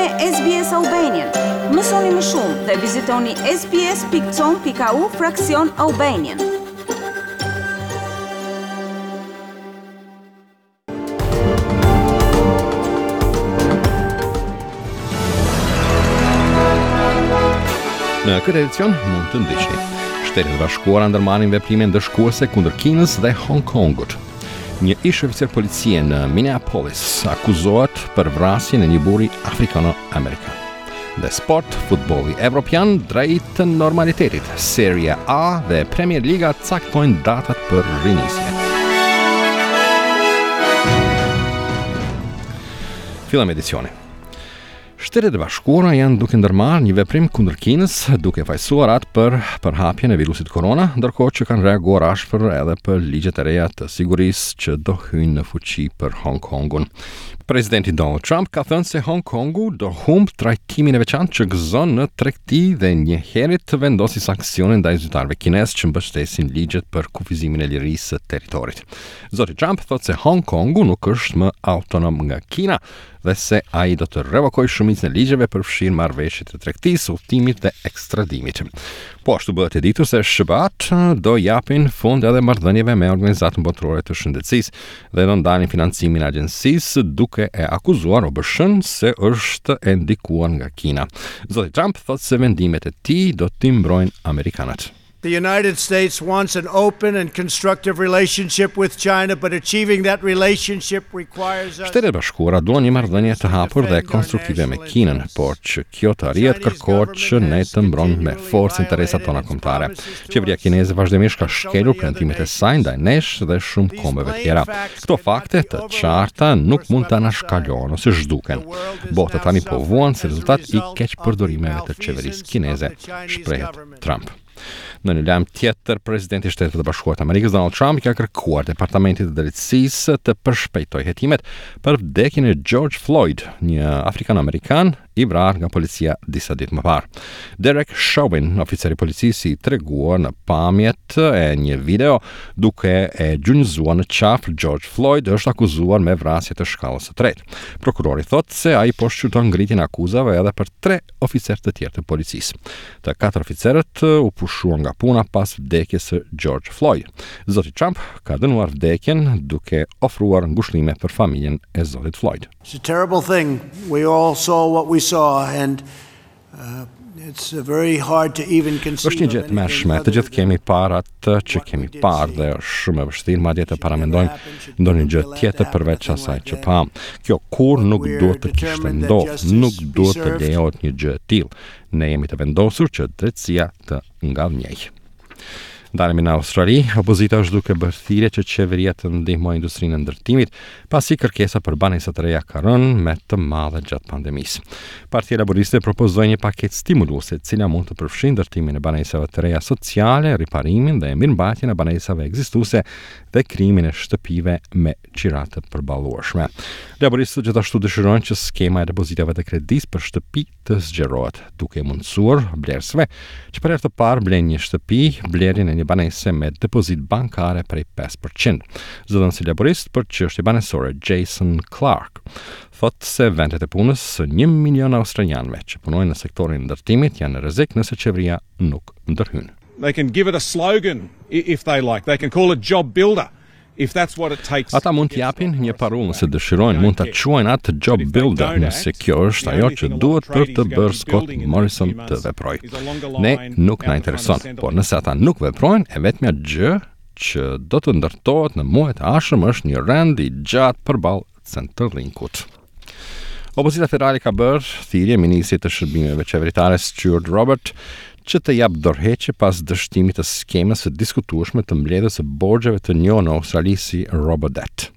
me SBS Albanian. Mësoni më shumë dhe vizitoni sbs.com.au fraksion Albanian. Në këtë edicion mund të ndiqni. Shtetet e Bashkuara ndërmarrin veprime ndëshkuese kundër Kinës dhe Hong Kongut. Një ish-oficer policie në Minneapolis akuzohet për vrasjen e një burri afrikano-amerikan. Dhe sport, futbolli evropian drejt normalitetit. Serie A dhe Premier Liga caktojnë datat për rinisje. Fillojmë edicionin. Shtetet e Bashkuara janë duke ndërmarrë një veprim kundër Kinës, duke fajësuar atë për përhapjen e virusit korona, ndërkohë që kanë reaguar ashpër edhe për ligjet e reja të sigurisë që do hyjnë në fuqi për Hong Kongun. Presidenti Donald Trump ka thënë se Hong Kongu do humb trajtimin e veçantë që gëzon në tregti dhe njëherit vendosi sanksione ndaj zyrtarëve kinezë që mbështesin ligjet për kufizimin e lirisë së territorit. Zoti Trump thotë se Hong Kongu nuk është më autonom nga Kina dhe se ai do të revokojë shumicën e ligjeve përfshirë marrëveshjet e tregtisë, udhëtimit dhe ekstradimit. Po ashtu bëhet e ditur se SHBA-t do japin fund edhe marrëdhënieve me Organizatën Botërore të Shëndetësisë dhe do ndalin financimin e agjencisë duke e akuzuar OBSH-n se është e ndikuar nga Kina. Zoti Trump thotë se vendimet e tij do t'i mbrojnë amerikanët. The United States wants an open and constructive relationship with China, but achieving that relationship requires us Shtetet e Bashkuara duan një marrëdhënie të hapur dhe konstruktive me Kinën, por që kjo të arrihet kërkohet që ne të mbrojmë me forcë interesat tona kombëtare. Qeveria kineze vazhdimisht ka shkelur premtimet e saj ndaj nesh dhe shumë kombeve tjera. Këto fakte të qarta nuk mund të anashkalohen ose zhduken. Bota tani po vuan si rezultat i keqpërdorimeve të qeverisë kineze, shprehet Trump. Në një lajm tjetër, presidenti i Shteteve të Bashkuara të Amerikës Donald Trump i ka kërkuar Departamentit të Drejtësisë të përshpejtojë hetimet për vdekjen e George Floyd, një afrikan-amerikan i vrarë nga policia disa ditë më parë. Derek Chauvin, oficer i policisë i treguar në pamjet e një video duke e gjunjëzuar në qafë George Floyd, është akuzuar me vrasje të shkallës së tretë. Prokurori thotë se ai po shqyrton ngritjen e akuzave edhe për tre oficerë të tjerë të policisë. Të katër oficerët u pushuan nga puna pas vdekjes së George Floyd. Zoti Trump ka dënuar vdekjen duke ofruar ngushëllime për familjen e zotit Floyd. It's a terrible thing. We all saw what we saw and uh, it's very hard to even conceive. Është një gjë e tmerrshme. Të gjithë kemi parë atë që kemi parë dhe është shumë e vështirë madje të paramendojmë ndonjë gjë tjetër përveç asaj që pamë. Kjo kurrë nuk duhet të kishte ndodhur, nuk duhet të lejohet një gjë e tillë. Ne jemi të vendosur që drejtësia të ngadhënjejë. Ndalemi në Australi, opozita është duke bërë thirrje që qeveria të ndihmojë industrinë e ndërtimit, pasi kërkesa për banesa të reja ka rënë me të madhe gjatë pandemisë. Partia Laboriste propozoi një paketë stimuluese, e cila mund të përfshijë ndërtimin e banesave të reja sociale, riparimin dhe mirëmbajtjen e banesave ekzistuese dhe krijimin e shtëpive me qira të përballueshme. Laboristët gjithashtu dëshirojnë që skema e depozitave të kredisë për shtëpi të zgjerohet, duke mundësuar blerësve që për herë të parë blejnë një shtëpi, blerjen e një banese me depozitë bankare prej 5%. Zëdhënësi laborist për çështje banesore Jason Clarke thotë se vendet e punës së 1 milion australianëve që punojnë në sektorin e ndërtimit janë në rrezik nëse qeveria nuk ndërhyn. They can give it a slogan if they like. They can call it job builder. If that's what it takes. Ata mund t'i japin një parullë nëse dëshirojnë, mund ta quajnë atë job builder, nëse kjo është ajo që duhet për të bërë Scott Morrison të veprojë. Ne nuk na intereson, por nëse ata nuk veprojnë, e vetmja gjë që do të ndërtohet në muajt e ardhshëm është një rend i gjatë përballë Centerlinkut. Opozita federale ka bërë thirrje ministrit të shërbimeve qeveritare Stuart Robert që të japë dorëheqje pas dështimit të skemës së diskutueshme të mbledhjes së borxheve të njohur në Australi si Robodebt.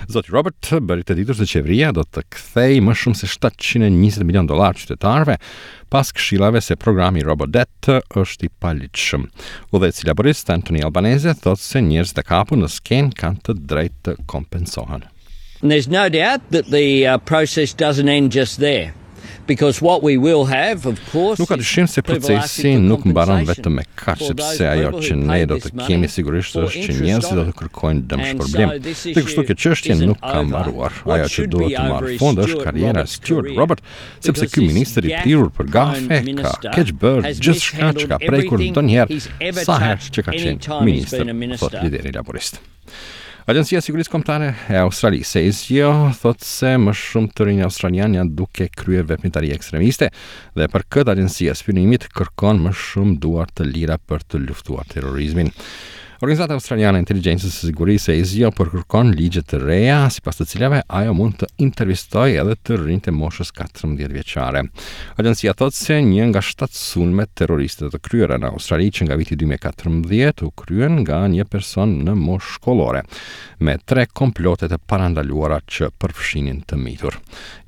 Zoti Robert bëri të ditur se qeveria do të kthejë më shumë se 720 milion dollarë qytetarëve pas këshillave se programi Robodebt është i paligjshëm. Udhëheqësi laborist Anthony Albanese thotë se njerëzit e kapur në skemë kanë të drejtë të kompensohen. And there's no doubt that the uh, process doesn't end just there. Because what we will have, of course, Nuk ka dyshim se procesi nuk mbaron vetëm me kaq, sepse ajo që ne do të kemi sigurisht është që njerëzit do të kërkojnë dëmshpërblim. Dhe kështu kjo çështje nuk ka mbaruar. Ajo që duhet të marrë fund është karriera e Stuart Robert, sepse ky ministër i prirur për gafe ka keqbërë gjithçka që ka prekur ndonjëherë sa herë që ka qenë ministër, thotë lideri laborist. Agjencia e Sigurisë Kombëtare e Australisë, ASIO, thotë se më shumë të rinj australianë janë duke kryer veprimtari ekstremiste dhe për këtë agjencia e spiunimit kërkon më shumë duar të lira për të luftuar terrorizmin. Organizata Australiane e Inteligjencës së Sigurisë ASIO po kërkon ligje të reja, sipas të cilave ajo mund të intervistojë edhe të rinjtë e moshës 14 vjeçare. Agjencia thotë se një nga shtatë sulmet terroriste të kryera në Australi që nga viti 2014 u kryen nga një person në moshë shkollore, me tre komplote të parandaluara që përfshinin të mitur.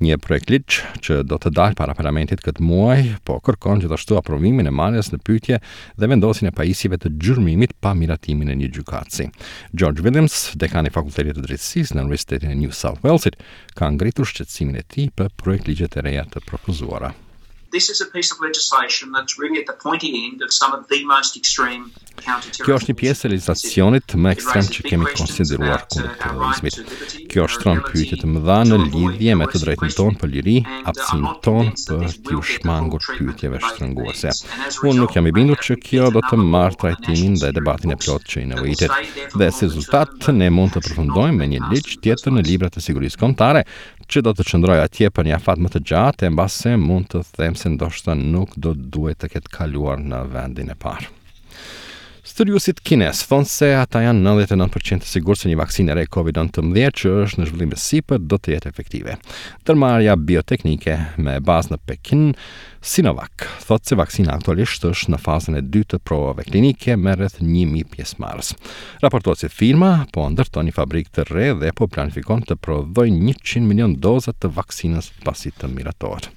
Një projektligj që do të dalë para parlamentit këtë muaj, po kërkon gjithashtu aprovimin e marrjes në pyetje dhe vendosjen e pajisjeve të gjurmimit pa miratimin e një gjykatësi. George Williams, dekan i Fakultetit të Drejtësisë në Universitetin e New South Walesit, ka ngritur shqetësimin e tij për projektligjet e reja të propozuara. This is a piece of legislation that's really at the pointy end of some of the most extreme Kjo është një pjesë e legjislacionit më ekstrem që kemi konsideruar kundër terrorizmit. Kjo shtron pyetje të mëdha në lidhje me të drejtën tonë për liri, aftësinë tonë për t'iu shmangur pyetjeve shtrënguese. Unë nuk jam i bindur që kjo do të marrë trajtimin dhe debatin e plotë që i nevojitet. Dhe si rezultat, ne mund të përfundojmë me një ligj tjetër në librat e sigurisë kombëtare që do të qëndrojë atje për një afat më të gjatë e mbase mund të them se ndoshta nuk do duhej të ketë kaluar në vendin e parë. Studiuesit kinezë thonë se ata janë 99% të sigurt se një vaksinë e re COVID-19 që është në zhvillim e sipër do të jetë efektive. Ndërmarrja bioteknike me bazë në Pekin, Sinovac, thotë se vaksina aktualisht është në fazën e dytë të provave klinike me rreth 1000 pjesëmarrës. Raportohet se firma po ndërton një fabrikë të re dhe po planifikon të prodhojë 100 milion doza të vaksinës pasi të miratohet.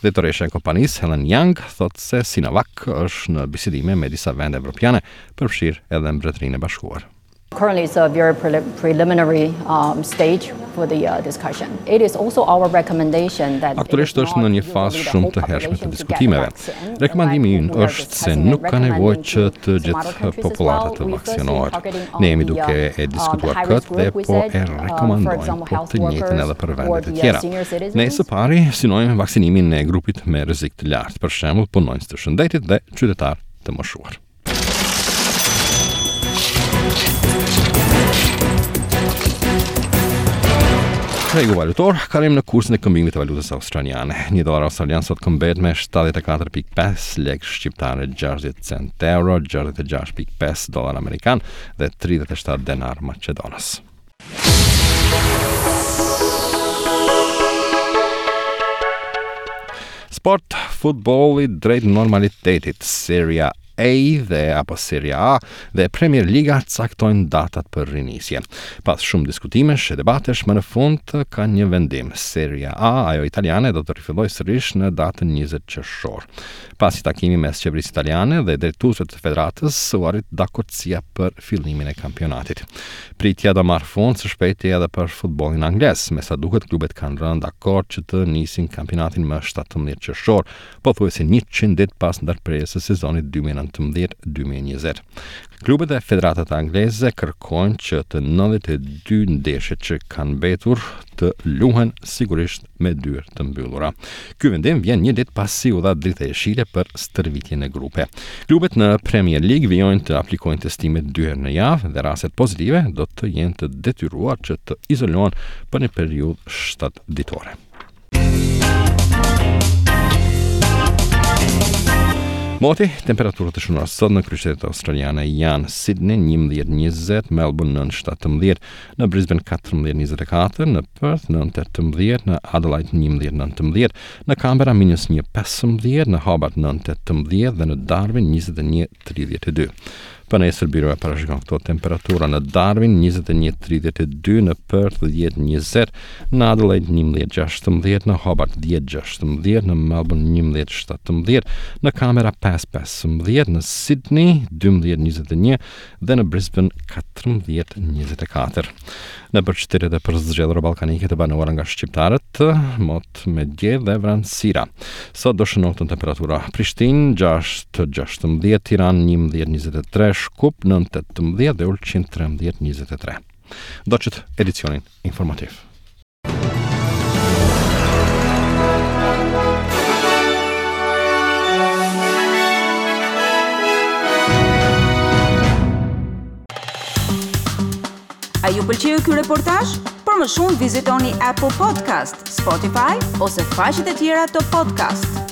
Drejtoresha e kompanisë, Helen Yang, thotë se Sinovac është në bisedime me disa vende evropiane, përfshirë edhe Mbretërinë e Bashkuar. Currently it's a very preliminary um, stage for the uh, discussion. It is also our recommendation that Aktualisht është në një fazë shumë të hershme të diskutimeve. Rekomandimi ynë është se nuk ka nevojë që të gjithë popullata të vaksinohet. Ne jemi duke e um, diskutuar këtë dhe po e um, rekomandojmë po të njëjtën edhe për vendet e tjera. Ne së pari synojmë vaksinimin e grupit me rrezik të lartë, për shembull punonjës të shëndetit dhe qytetarë të moshuar. Tregu valutor, kalojmë në kursin e këmbimit të valutës australiane. Një dollar australian sot këmbehet me 74.5 lekë shqiptare, 60 cent euro, 66.5 dollar amerikan dhe 37 denar maqedonas. Sport, futbolli drejt normalitetit, Serie A dhe apo Serie A dhe Premier Liga caktojnë datat për rinisje. Pas shumë diskutimesh e debatesh, më në fund ka një vendim. Serie A, ajo italiane, do të rifillojë sërish në datën 20 qershor. Pas një takimi mes qeverisë italiane dhe drejtuesve të federatës, u arrit dakordësia për fillimin e kampionatit. Pritja do marrë fund së shpejti edhe për futbollin anglez. Me sa duket, klubet kanë rënë dakord që të nisin kampionatin më 17 qershor, pothuajse 100 ditë pas ndërprerjes së sezonit 2019-2020. Klubet dhe federatat angleze kërkojnë që të 92 ndeshjet që kanë mbetur të luhen sigurisht me dyer të mbyllura. Ky vendim vjen një ditë pasi u dha drita jeshile për stërvitje në grupe. Klubet në Premier League vijojnë të aplikojnë testimet dy herë në javë dhe rastet pozitive do të jenë të detyruar që të izolohen për një periudhë 7 ditore. Moti, temperaturat e shënuara sot në kryeqytetet australiane janë Sydney 11:20, Melbourne 9:17, në Brisbane 14:24, në Perth 9:18, në Adelaide 11:19, në Canberra minus 1:15, në Hobart 9:18 dhe në Darwin 21:32. Për nesër byroja parashikon këto temperatura në Darwin 21.32, në Perth 10.20, në Adelaide 11.16, në Hobart 10.16, në Melbourne 11.17, në Canberra 5.15, në Sydney 12.21 dhe në Brisbane 14.24. Nëpër qytetet e përzgjedhura ballkanike të banuara nga shqiptarët, mot me diell dhe vranësira. Sot do shënohen temperatura Prishtinë 6.16, Tiranë 11.23, Shkup 9.18 dhe Ulqin 13.23. Ndoqët edicionin informativ. A ju pëlqeu ky reportazh? Për më shumë vizitoni Apple Podcast, Spotify ose faqet e tjera të podcast.